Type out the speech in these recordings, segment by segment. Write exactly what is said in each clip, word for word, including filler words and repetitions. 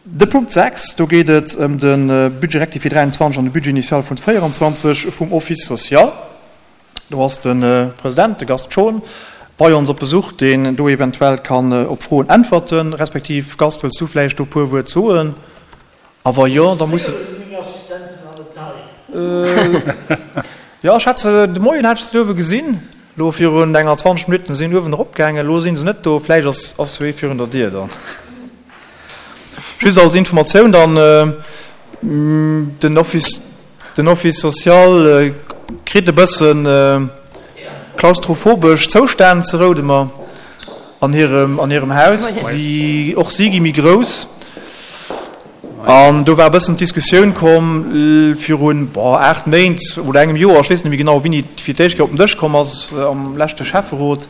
De Punkt sechs, do geet et ëm de Budget rectifié dräianzwanzeg an de Budget initial vun véieranzwanzeg vum Office social. Do ass de President, de Gast Schon, bei ons op Besuch, deen do eventuell kann op Froen äntwerten. Respektiv, Gast, wëlls du vläicht do e puer Wuert soen? A wa jo, da muss. Jo, ech hat se de Moien hat ech se do uewe gesinn. Elo virun enger zwanzeg Minutten sinn uewen eropgaangen. Elo si se net do. Vläicht ass ass jo ee virun der Dier dann. Just als Informatioun dann, den Office, den Office social kritt e bëssen klaustrophobesch Zoustänn ze Roudemer an hirem, an hirem Haus. Si, och si gi méi grouss. An do war e bëssen d'Diskussioun komm virun, boah, aacht Méint oder engem Joer, ech weess net méi genau, wéini et fir d'éischt Kéier op den Dësch komm ass am leschte Schäfferot,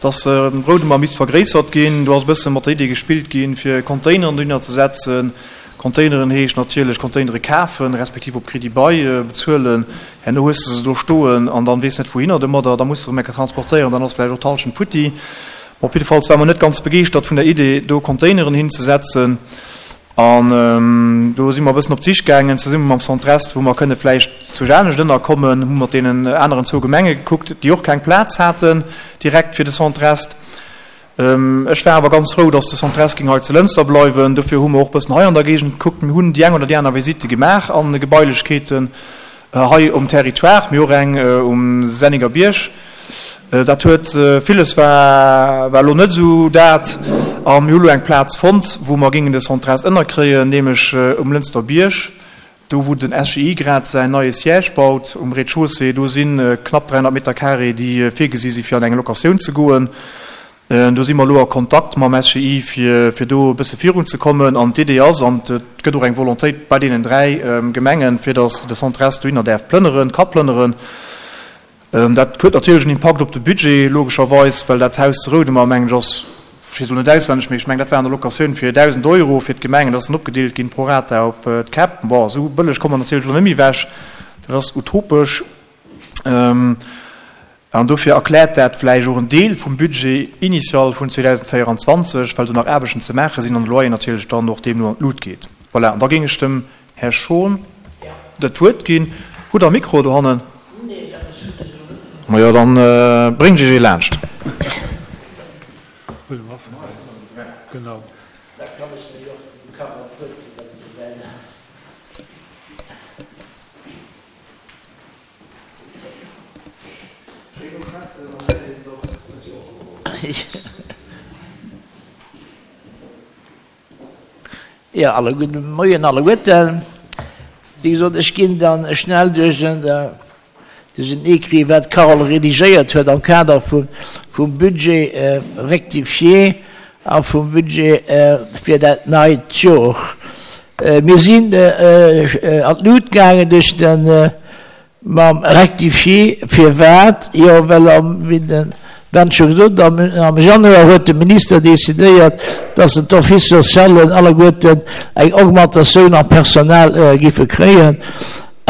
dass Roudemer misst vergréissert ginn. Do ass e bësse mat der Idee gespillt ginn, fir Containeren dohinner ze setzen. Containeren heescht natierlech Containere kafen, respektiv op Crédit-bail bezuelen. Herno hues de se do stoen an dann weess net wouhinner domadder. Da muss de erëm eng Kéier transportéieren, dann ass vläicht och d'Hallschent futti. Bon, op jiddefalls ware mer net ganz begeeschtert vun der Idee, do Containeren hinzesetzen. An do si mer e bëssen op d'Sich gaangen, zesumme mam Centre-Est, wou mer kënne vläicht zu anescht ënnerkommen, hu mat deenen aneren zwou Gemenge gekuckt, déi och keng Plaz haten direkt fir de Centre-Est. Ech war awer ganz frou, dass de Centre-Est géing hei zu Lënster bleiwen. Dofir hu mer och e bëssen hei an der Géigend gekuckt. Mir hunn déi eng oder déi aner Visitte gemaach an Gebailechkeeten. Hei um Territoire, mee och eng um Senningerbierg. Dat huet, villes war war elo net esou dat. A mir hu elo eng Plaz fonnt, wou mer géingen de Centre-Est ënnerkréien, nämlech um Lënster Bierg, do wou den S G I grad säin neie Siège baut, um Rez-de-chaussée. Do si knapp dräihonnert Meter carré, déi virgesi si fir an eng Locatioun ze goen. Do si mer elo a Kontakt mam S G I, fir fir do e bësse virunzekommen. An d'Idee ass, an et gëtt och eng Volontéit bei deenen dräi Gemengen, fir datt de Centre-Est dohinner däerf plënneren, ka plënneren. Dat huet natierlech en Impakt op de Budget, logescherweis, well dat Haus zu Roudemer, mengen ech, ass, ech weess elo net auswenneg, mee ech mengen, dat war an der Locatioun fir dausend Euro fir d'Gemengen. Dat ass dann opgedeelt ginn pro rata op d'Käpp. Bon, esou bëlleg komme mer natierlech elo net méi ewech, dat ass utopesch. An dofir erkläert dat vläicht och en Deel vum Budget initial vun zweedausendvéieranzwanzeg, well do nach Aarbechten ze maache sinn an de Loyer natierlech dann och deemno an d'Lut geet. Voilà, an da géing ech dem Här Schon dat Wuert ginn. Hutt Der e Mikro dohannen? Majo, dann bréngt Iech ee laanscht. Jo, alle gudde Moien alleguerten. Wéi gesot, ech ginn dann schnell duerch den, duerch den Écrit, wat d'Carole redigéiert huet am Kader vum, vum Budget rectifié a vum Budget fir dat neit Jor. Mir sinn an d'Lut gaangen duerch den, mam Rectifié. Firwat? Jo, well am, wéi de Ben scho gesot huet, am Januar huet de Minister decidéiert, dass en d'Office socialen alleguerten eng Augmentatioun am Personal giffe kréien.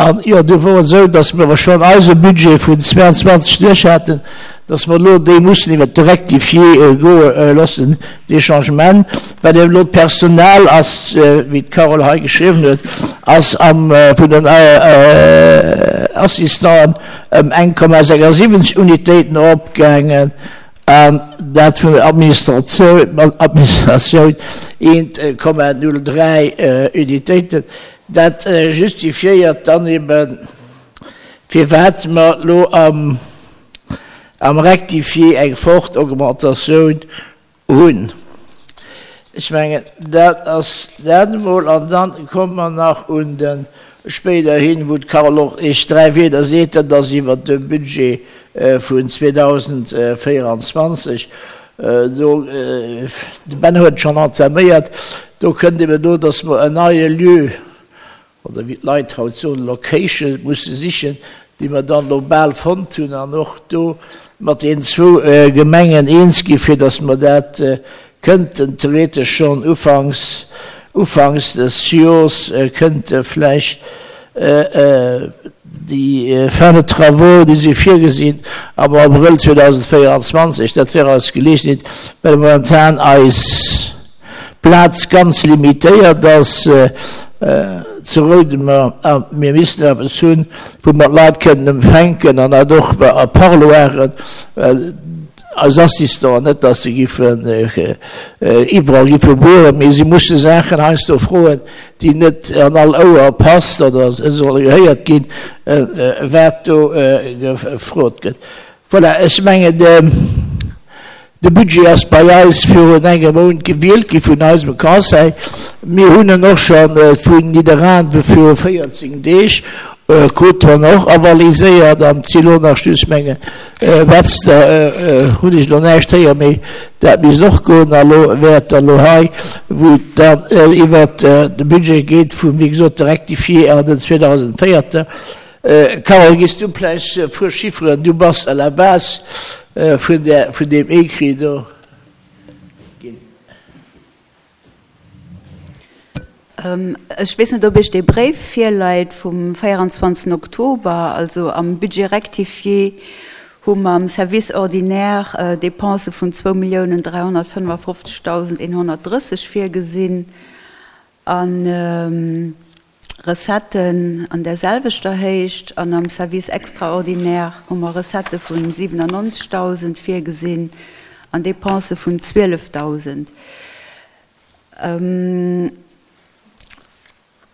An, jo, du wor et esou, dass mir awer schonn eise Budget vun zweiundzwanzeg duerch haten, dass mer elo déi mussen iwwert de Rectifié goe loossen, dee Changement, well eben elo d'Personal ass, wéi d'Carole hei geschriwwen huet, ass am vun den Assistanten ëm eng Komma sechsundsiwwenzeg Unitéiten eropgaangen an dat vun der Administratioun eent Komma null dräi Unitéiten. Dat justifiéiert dann eben, firwat mer elo am am Rectifié eng fort Augmentatioun hunn. Ech mengen, dat ass dat emol. An dann komme mer nach un de spéiderhin, wou d'Carole och Iech dräi Wierder seet, dat ass iwwert de Budget vun zweedausendvéieranzwanzeg. Do, de Ben huet et schonn entaméiert, do kënnt eben do, dass mer en neie Lieu, oder wéi d'Leit haut soen, Location musse sichen, déi mer dann elo bal fonnt hunn an och do mat deenen zwou Gemengen eens gi fir datt mer dat kënnten theoretesch schonn ufanks, ufanks des Jors kënnte vläicht déi Fin de travaux, déi si virgesinn am Abrëll zweedausendvéieranzwanzeg, dat wär eis Geleegenheet, well momentan eis d'Plaz ganz limitéiert ass zu Roudemer a mir missten eppes hunn, wou mer d'Leit kënnen empfänken an dat och a Parloiren, well eis Assistenten, net datt se giffen iwwerall giffe bueren, mee si musse Saachen heiansdo froen, déi net an all Ouer passt oder solle gehéiert ginn, wat do gefrot gëtt. Voilà, ech mengen, de Budget ass bei eis virun engem Mount gewielt gi vun eisem Conseil. Mir hunn en och scho vun Nidderaanwe viru véierzéng Deeg krut en och avaliséiert an et si lo nach just, mengen, Betzder hunn ech elo näischt héier, mee dat misst och goen. A lo wäert der elo hei, wou et dann iwwert de Budget geet vum, wéi gesot, de Rectifié an den zweedausendvéierter. Carole, giss du vläicht e puer Chifferen, du bass à la base vun där, vun deem Écrit do, ginn. Ech weess net, ob Iech dee Bréif virleit vum véieranzwanzegsten Oktober. Also am Budget rectifié hu mer am Service ordinaire Dépensë vun zwou Milliounen dräihonnertfënnefafofzegdausend eenhonnertdrësseg virgesinn an Recetten an där selwechter Héicht. An am Service extraordinaire hu mer Recettë vu siwenannonzegdausend virgesinn an Dépensë vun zwielefdausend.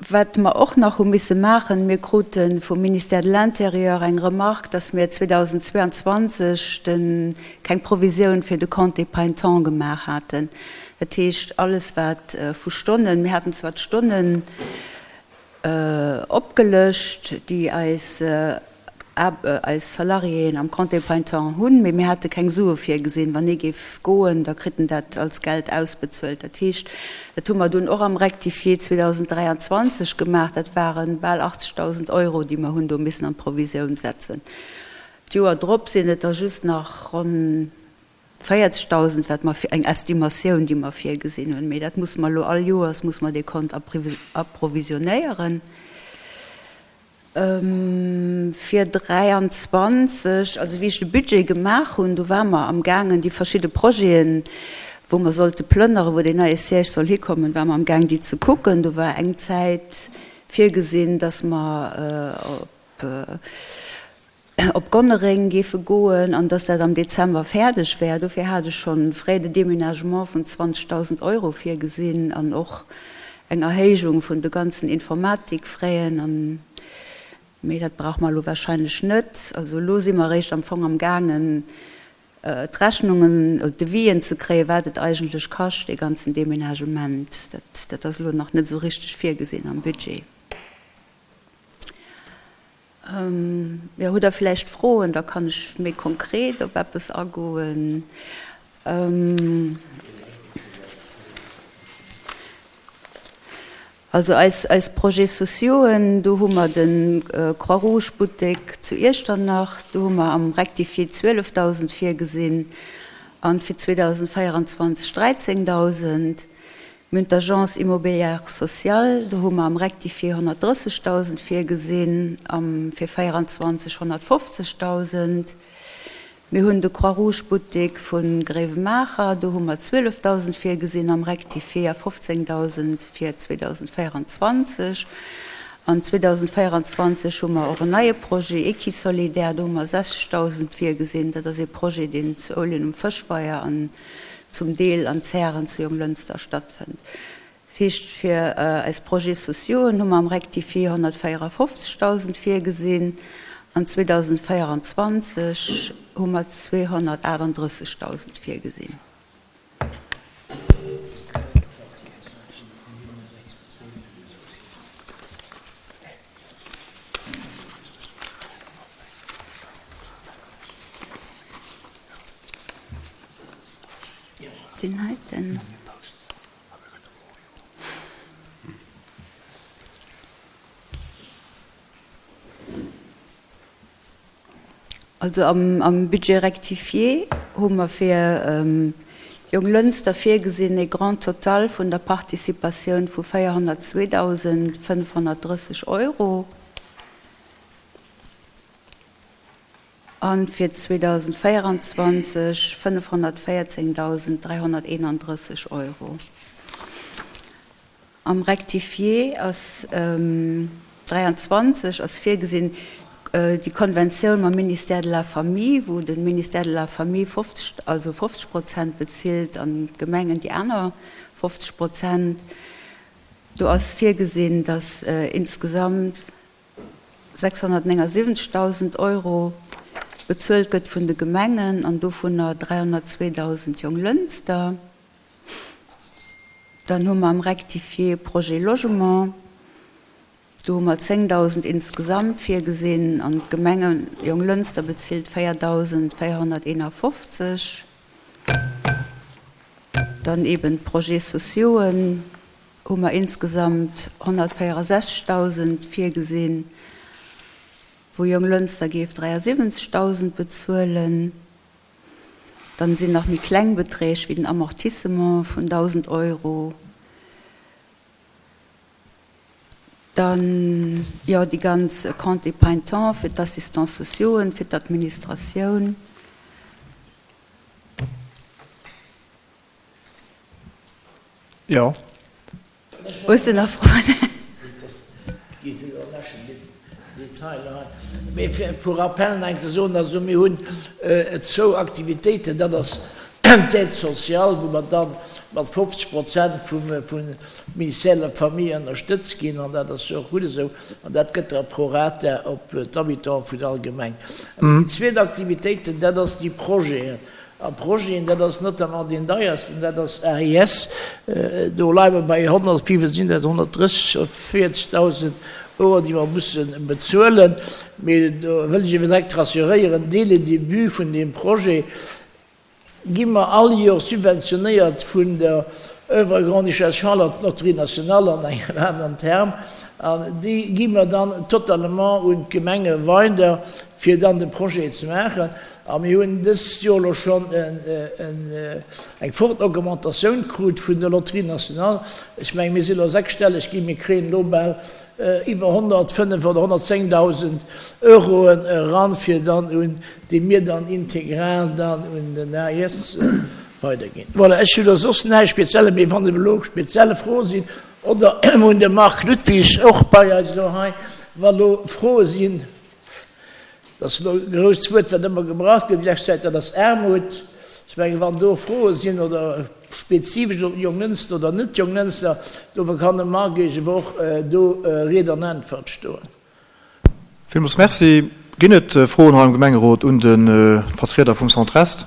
Wat mer och nach hu misse maachen, mir krute vum Ministère de l'Intérieur eng Remarque, dass mir zweedausendzweianzwanzeg de keng Provisioun fir de Compte épargne-temps gemaach haten. Dat heescht, alles wat vu Stonnen, mir haten zwar d'Stonnen opgelëscht, déi eis eis Salariéen am Compte épargne-temps hunn, mee mir hate keng Sue virgesinn. Wann ee géif goen, da kritt en dat als Geld ausbezuelt. Dat heescht, dat hu mer dunn och am Rectifié zweedausenddräianzwanzeg gemaach, dat ware bal achtzegdausend Euro, déi mer hunn do missen an d'Provisioun setzen. D'Joer drop sinn et der just nach ronn véierzegdausend, wat mer, eng Estimatioun, déi mer virgesinn hunn. Mee dat musse mer elo all Joers musse mer dee Kont approvisionnéieren. Fir dräianzwanzeg, also wéi ech de Budget gemaach hunn, do ware mer amgaangen, déi verschidde Projeten, wou mer sollte plënnere, wou deen neie Siège soll hikommen, ware mer amgaang, déi ze kucken. Do war eng Zäit virgesinn, dass mer op op Gonnereng géife goen an dass dat am Dezember fäerdeg wär. Dofir hat ech schonn Frais de déménagement vun zwanzegdausend Euro virgesinn an och eng Erhéijung vun de ganzen Informatikfraisen an, mee dat brauche mer elo wahrscheinlech net. Also elo si mer eréischt am Fong am gaangen, d'Rechnungen oder d'Devis'en ze kréien, wat et eigentlech kascht, dee ganzen Déménagement. Dat, dat ass elo nach net esou richteg virgesinn am Budget. Jo, hutt Der vläicht Froen, da kann ech méi konkret op eppes agoen. Also eis, eis Projets sociauxen, do hu mer de Croix-Rouge-Buttek zu Iechternach, do hu mer am Rectifié zwielefdausend virgesinn an fir zweedausendvéieranzwanzeg dräizéngdausend. Mir hunn d'Agence immobilière sociale, do hu mer am Rectifié honnertdrëssegdausend virgesinn, am fir véieranzwanzeg honnertfofzegdausend. Mir hunn de Croix-Rouge-Buttek vu Gréiwemaacher, do hu mer zwielefdausend virgesinn am Rectifié a fofzéngdausend fir zweedausendvéieranzwanzeg. An zweedausendvéieranzwanzeg hu mer och en neie Projet, Equisolidaire, do hu mer sechzegdausend virgesinn. Dat ass ee Projet, deen zu Ouljen um Fëschweier an zum Deel an Zären zu Jonglënster stattfënnt. Dat heescht, fir eis Projets sociauxen hu mer am Rectifié honnertvéierafofzegdausend virgesinn an zweedausendvéieranzwanzeg hu mer zweehonnertaachtunddrëssegdausend virgesinn. Deen heiten. Also am Budget rectifié hu mer fir Jonglënster virgesinn e Grand total vun der Participatioun vu véierhonnertzweedausendfënnfhonnertdrësseg Euro a fir zweedausendvéieranzwanzeg fënnfhonnertvéierzéngdausend dräihonnerteenandrësseg Euro. Am Rectifié ass dräianzwanzeg ass virgesinn déi Konventioun mam Ministère de la Famille, wou de Ministère de la Famille fofzeg, also fofzeg Prozent bezilt an d'Gemengen déi aner fofzeg Prozent. Do ass virgesinn, dass insgesamt sechshonnertnéngasiwwenzegdausend Euro bezuelt gëtt vun de Gemengen an dovunner dräihonnertzweedausend Jonglënster. Dann hu mer am Rectifié Projet Logement, do hu mer zéngdausend insgesamt virgesinn an d'Gemenge Jonglënster bezilt véierdausendvéierhonnerteenafofzeg. Dann eben d'Projets sociauxen hu mer insgesamt honnertvéierundsechzegdausend virgesinn, wou Jonglënster géif dräiasiwwenzegdausend bezuelen. Dann sinn nach méi kleng Beträg wéi den Amortissement vun dausend Euro. Dann, jo, déi ganz Compte épargne temps fir d'Assistants sociauxen, fir d'Administratioun. Jo. Hues de nach Froen? Mee fir pour rappel nach eng ze soen, also mir hunn zwou Aktivitéiten, dat ass d'Aide sociale, wou mer da mat fofzeg Prozent vum Ministère de la Famille ënnerstëtzt ginn, an dat ass jo och gutt esou, an dat gëtt da pro rata op d'Habitante vun all Gemeng. An déi zweet Aktivitéiten, dat ass déi Projeten. A Projeten, dat ass notamment deen deiersten, dat ass A I S. Do leie mer bei honnert, wéi vill sinn dat, honnertdrësseg oder véierzegdausend Euro, déi mer musse bezuelen. Mee do wëll ech eeben direkt rassuréieren, dès le début vun deem Projet gi mer all Joer subventionéiert vun der Œuvre Grande-Duchesse Charlotte, Loterie Nationale an engem aneren Term, an déi gi mer dann totalement un d'Gemenge weider, fir dann de Projet ze maachen. A mir hunn dëst Joer elo schonn eng forte Augmentatioun krut vun der Loterie Nationale. Ech mengen, mir sinn elo sechsstelleg ginn, mir kréien elo bal iwwer honnertfënnef oder honnertzéngdausend Euroen eran, fir dann un, déi mir dann integral dann un den A I S weiderginn. Voilà, ech hunn elo soss näischt Spezielles, mee wann elo spezielle Froe sinn, oder mir hunn de Marc Ludwig och bei eis elo hei, wa lo Froe sinn. Dat ass elo e grousst Wuert, wat ëmmer gebraucht gëtt déi lescht Zäit, dat ass Aarmut. Ech mengen, wann do Froe sinn oder spezifesch op Jonglënster oder net Jonglënster, do kann de Marc Iech awer och do Ried an Äntwert stoen. Villmools Merci. Ginn et Froen hei am Gemengerot un de Vertrieder vum Centre Est?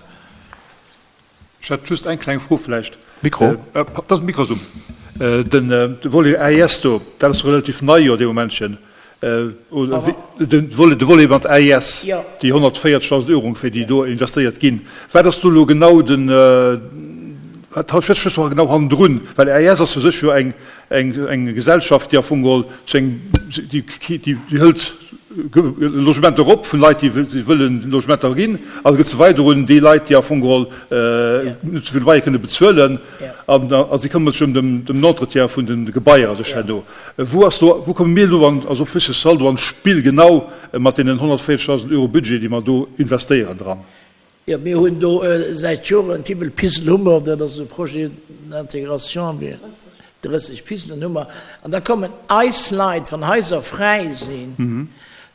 Ech hätt just eng kleng Fro vläicht. Mikro. Dat ass Mikro ass um. Den Volet A I S do, dat ass relativ nei jo dee Momentchen. De Volet mat A I S, déi honnertvéierzegdausend Euro ongeféier, déi do investéiert ginn. Wat ass do elo genau den, wat stécht do genau hannendrun? Well A I S ass u sech jo eng eng Gesellschaft, déi am Fong geholl zu engem, déi déi hëlt Logementer op vun Leit, déi wëllen Logementer ginn, a gëtt se weider un déi Leit, déi am Fong geholl net esou vill Loyer kënne bezuelen, an a si këmmert sech ëm dem den Entretien vun de Gebaier a sech herno. Wou ass do, wou komme mir elo an, also Office social do an d'Spill genau mat deenen honnertvéierzegdausend Euro Budget, déi mer do investéieren dran? Jo, mir hunn do säit Joren, wéivill Pisel hu mer? Dat ass e Projet d'intégration, drësseg Piselen hu mer. An da kommen eis Leit, wann Haiser fräi sinn,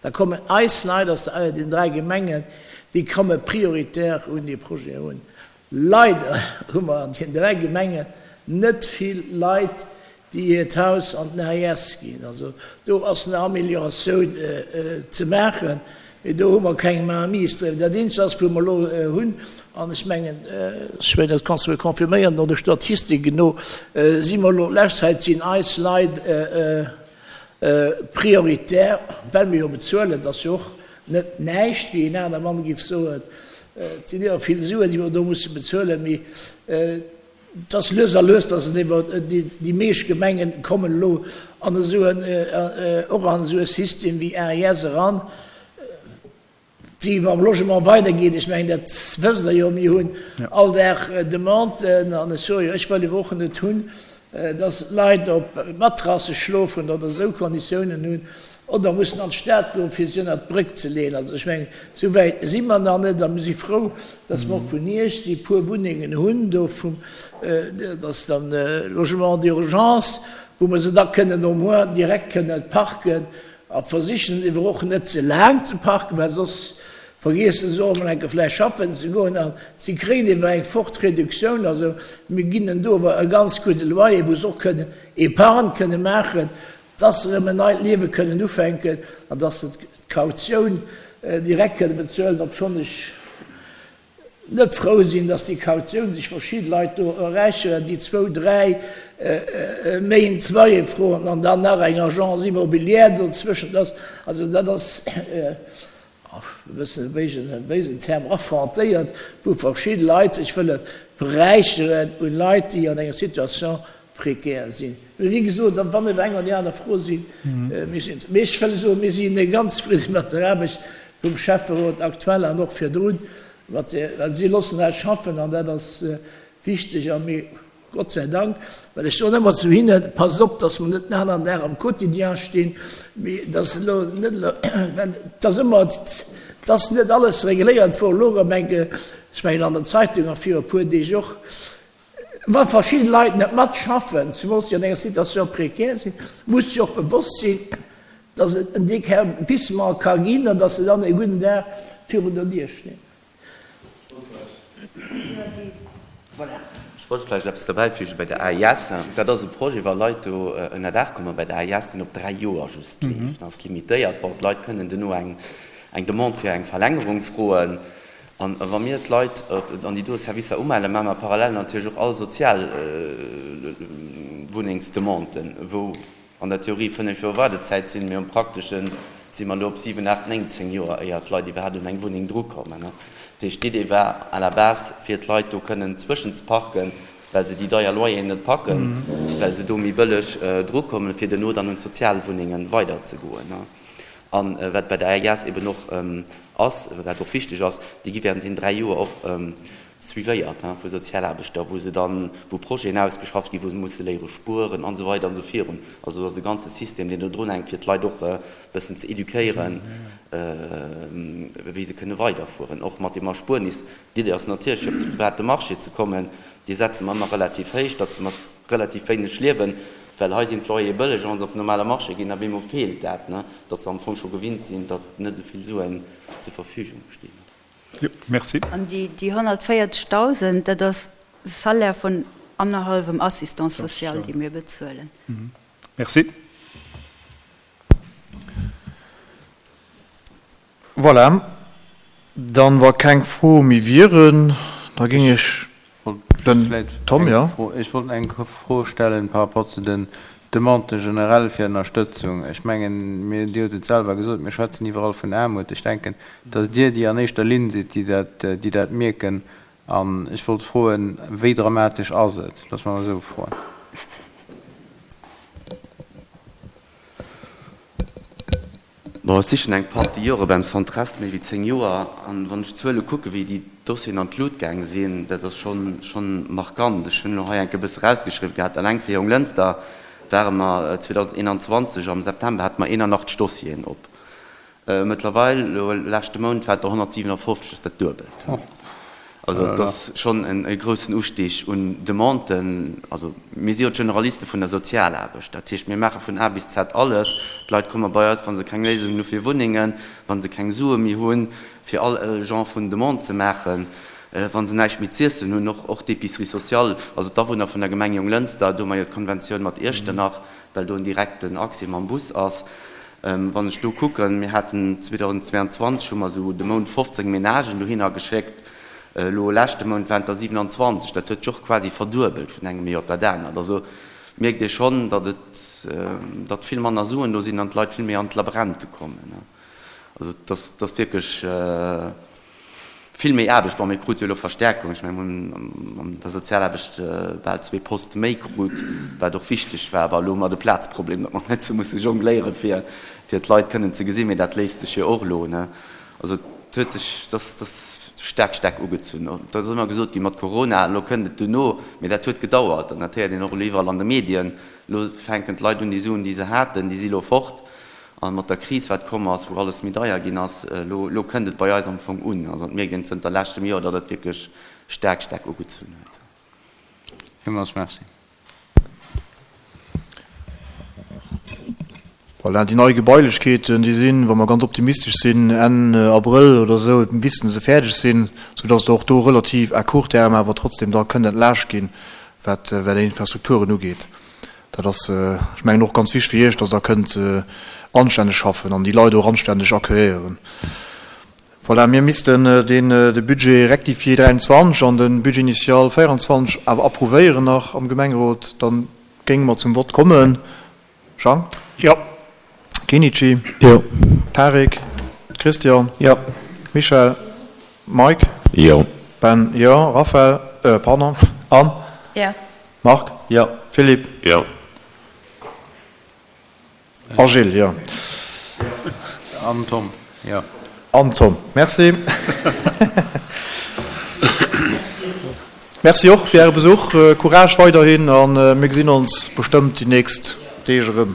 da kommen eis Leit aus den dräi Gemengen, déi komme prioritär un dee Projet erun. Leider hu mer an den dräi Gemengen net vill Leit, déi hiert Haus an den A I S ginn. Also do ass eng Amélioratioun ze maachen, mee do hu mer keng Mainmise driwwer. Dat Eenzegt ass, wou mer elo hunn, an ech mengen, Sven, dat kanns du mir confirméieren, no de Statistiken no si mer elo, lescht Zäit sinn eis Leit prioritär, well mir jo bezuelen, dat ass jo och net näischt, wéi een aner Mann géif soen, et sinn iwwer vill Suen, déi mer do musse bezuelen, mee et ass lues a lues, dass et ewer déi meescht Gemengen kommen elo an esou en, och an esou e System wéi A I S eran. Wéi mam Logement weidergeet, ech mengen, dat wësst Der jo, mir hunn all Dag Demanden an ech soe jo, ech wëll ewer och net hunn, dass Leit op Matrasse schlofen oder esou Konditiounen hunn oder mussen an d'Stad goen, fir sech ënnert d'Bréck ze leeën. Also ech mengen, esou wäit si mer nach net a mir si frou, dass mer och vun Iech déi puer Wunnengen hunn do vum, dat ass dann Logement d'urgence, wou mer se da kënnen au moins direkt kënnen parken a versichen ewer och net ze laang ze parken, well soss vergiessen se och emol eng Kéier vläicht schaffen ze goen a si kréien ewer eng fort Reduktioun. Also mir ginn en do ewer e ganz gudde Loyer, wou se och kënnen Épargne kënne maachen, dass se erëm en neit Liewe kënnen ufänken an dass se d'Kautioun direkt kënne bezuelen, obschonn ech net frou sinn, dass déi Kautioun sech verschidde Leit do erräicheren, déi zwou, dräi Méint Loyer froen an dann nach eng Agence immobilière dozwëschent ass. Also dat ass e bëssen e béisen Term, affrontéiert, wou verschidde Leit sech wëlle beräicheren un Leit, déi an enger Situation précaire sinn. Mee wéi gesot, wann ebe eng oder déi aner Fro sinn, mir sinn, mee ech wëll soen, mir si ganz zefridde mat der Aarbecht vum Schäfferot aktuell an och virdrun, mat der, well si loossen eis schaffen an dat ass wichteg a mir, Gott sei Dank, well ech soen ëmmer zu hinnen, passt op, dass mer net den aneren Dag am Quotidien stinn, mee dass elo net elo, well et ass ëmmer, et ass net alles regléiert, wor elo erëm eng, ech mengen an der Zeitung a viru e puer Deeg och, Wa verschidde Leit net matschaffen, zemools déi an enger Situation précaire sinn, muss sech och bewosst sinn, dass et en Déguerpissement ka ginn an dass se dann e gudden Dag virun der Dier stinn. Ech wollt vläicht eppes derbäifügen bei der A I S. Dat ass e Projet, wa Leit do ënnerdaach komme bei der A I S, deen op dräi Joer just leeft. Dat ass limitéiert. Bon, d'Leit kënnen duerno eng Demande fir eng Verlängerung froen. An wa mir d'Leit an déi do Servicer umellen, maache mer parallel natierlech och all sozial Wunnengsdemanden, wou an der Theorie fënnef Joer Waardezäit sinn, mee am Praktesche si mer elo op siwen, aacht, néng, zéng Joer, éier d'Leit iwwerhaapt un eng Wunneng drukommen. Dat heescht, d'Idee war à la base, fir d'Leit do kënnen zwëschenzeparken, well se déi deier Loyeren net packen, well se do méi bëlleg drukommen, fir duerno dann un d'Sozialwunnenge weiderzegoen. A wat bei der A I S eben och ass, wat och wichteg ass, déi gi während deenen dräi Joer och suivéiert vu Sozialaarbechter, wou se dann, wou Projeten ausgeschafft ginn, wou se musse léiere spueren an esou weider an esou virun. Also do ass e ganze System, deen do drunhänkt, fir d'Leit och e bëssen ze éduquéieren, wéi se kënne weiderfueren, och mat deem Erspuernis. D'Idee ass natierlech, fir op de private Marché ze kommen. Dee setze mer ëmmer relativ héich, datt se mat relativ wéineg liewen, well hei sinn d'Loyere bëlleg, a wa se op den normale Marché ginn, op eemol feelt dat, datt se am Fong scho gewinnt sinn, datt net esou vill Suen zur Verfügung stinn. Jo, merci. An déi honnertvéierzegdausend, dat ass de Salaire vun annerhallwem Assistant social, dee mir bezuelen. Merci. Voilà, dann, wa keng Froe méi wieren, da géing ech den Tom, jo. Ech wollt eng Fro stellen par rapport zu den Demanden generell fir Ënnerstëtzung. Ech mengen, mir, Dir hutt et selwer gesot, mir schwätzen iwwerall vun Aarmut. Ech denken, dass Dir déi an éischter Linn sidd, déi dat, déi dat mierken. An ech wollt froen, wéi dramatesch ass et? Loosse mer emol esou froen. Bon, ech si schonn eng Partie Jore beim Centrest, méi wéi zéng Joer, an wann ech d'Zuele kucken, wéi déi Dossieren an d'Lut gaange sinn, dat ass schonn, schonn markant. Ech hunn elo hei enke bësse rausgeschriwwen gehat, eleng fir Jonglënster ware mer zweedausendeenanzwanzeg am September hate mer eenanachtzeg Dossieren op. Mëttlerweil, elo leschte Mount, waren et der honnertsiwenafofzeg, dat ass dat Duebelt. Also et ass schonn e groussen Ustig un Demanden. Also mir si jo d'Generaliste vun der Sozialaarbecht. Dat heescht, mir maache vun A bis Z alles. D'Leit komme bei eis, wa se keng Léisungen hu fir Wunnengen, wa se keng Sue méi hunn, fir all Genre vun Demande ze maachen, wa se näischt méi z'iessen hunn, och och d'Épicerie sociale, also d'Awunner vun der Gemeng Jonglënster, do hu mer jo d'Konventioun mat Iechternach, well do en direkten Accès mam Bus ass. Wann ech do kucken, mir haten zweedausendzweianzwanzeg hu mer esou de Mount fofzéng Menagen dohinner geschéckt, elo leschte Mount waren et der siwenanzwanzeg. Dat huet sech och quasi verduebelt vun engem Joer op dat anert. Also mierkt ee schonn, datt et, datt vill manner Suen do sinn an d'Leit vill méi an d'Labrente kommen. Also et ass, et ass wierklech vill méi Aarbecht. Bon, mir krute jo elo Verstärkung. Ech mengen, mir hunn an der Sozialaarbecht bal zwee Poste méi krut, wat och wichteg war. Awer elo hu mer de Plazproblem, datt mer net sou musse jongléieren, fir, fir d'Leit kënnen ze gesinn. Mee dat léist sech jo och elo, ne? Also et huet sech, et ass, et ass staark, staark ugezunn. Et ass ëmmer gesot ginn, mat Corona, elo kënnt et duerno. Mee dat huet gedauert. An dat héiert een och elo iwwerall an de Medien. Elo fänken d'Leit un, déi Suen, déi se haten, déi si elo fort. A mat der Kris, wat komm ass, wou alles méi deier ginn ass, elo, elo kënnt et bei eis am Fong un. Also et mierkt een zënter leschtem Joer, datt et wierklech staark, staark ugezunn huet. Villmools Merci. Voilà, déi nei Gebailechkeeten, déi sinn, wa mer ganz optimistesch sinn, Enn Abrëll oder esou missten se fäerdeg sinn, soudass et och do relativ à court terme awer trotzdem da kënnt entlaascht ginn, wat déi Infrastrukturen ugeet. Dat ass, ech mengen, och ganz wichteg fir Iech, dass Der kënnt anstänneg schaffen an déi Leit och anstänneg accueilléieren. Voilà, mir missten deen, de Budget rectifié dräianzwanzeg an de Budget initial véieranzwanzeg awer approuvéieren nach am Gemengerot. Da géinge mer zum Vott kommen. Jean? Jo. Kenichi? Jo. Tarik? Christian? Jo. Michèle? Mike? Jo. Ben? Jo. Raphaël? Euh, pardon. Anne? Jo. Marc? Jo. Philippe? Jo. A Gilles, jo. An Tom, jo. An Tom, merci. Merci och fir Äre Besuch. Courage weiderhin a mir gesinn ons bestëmmt déi nächst Deeg erëm.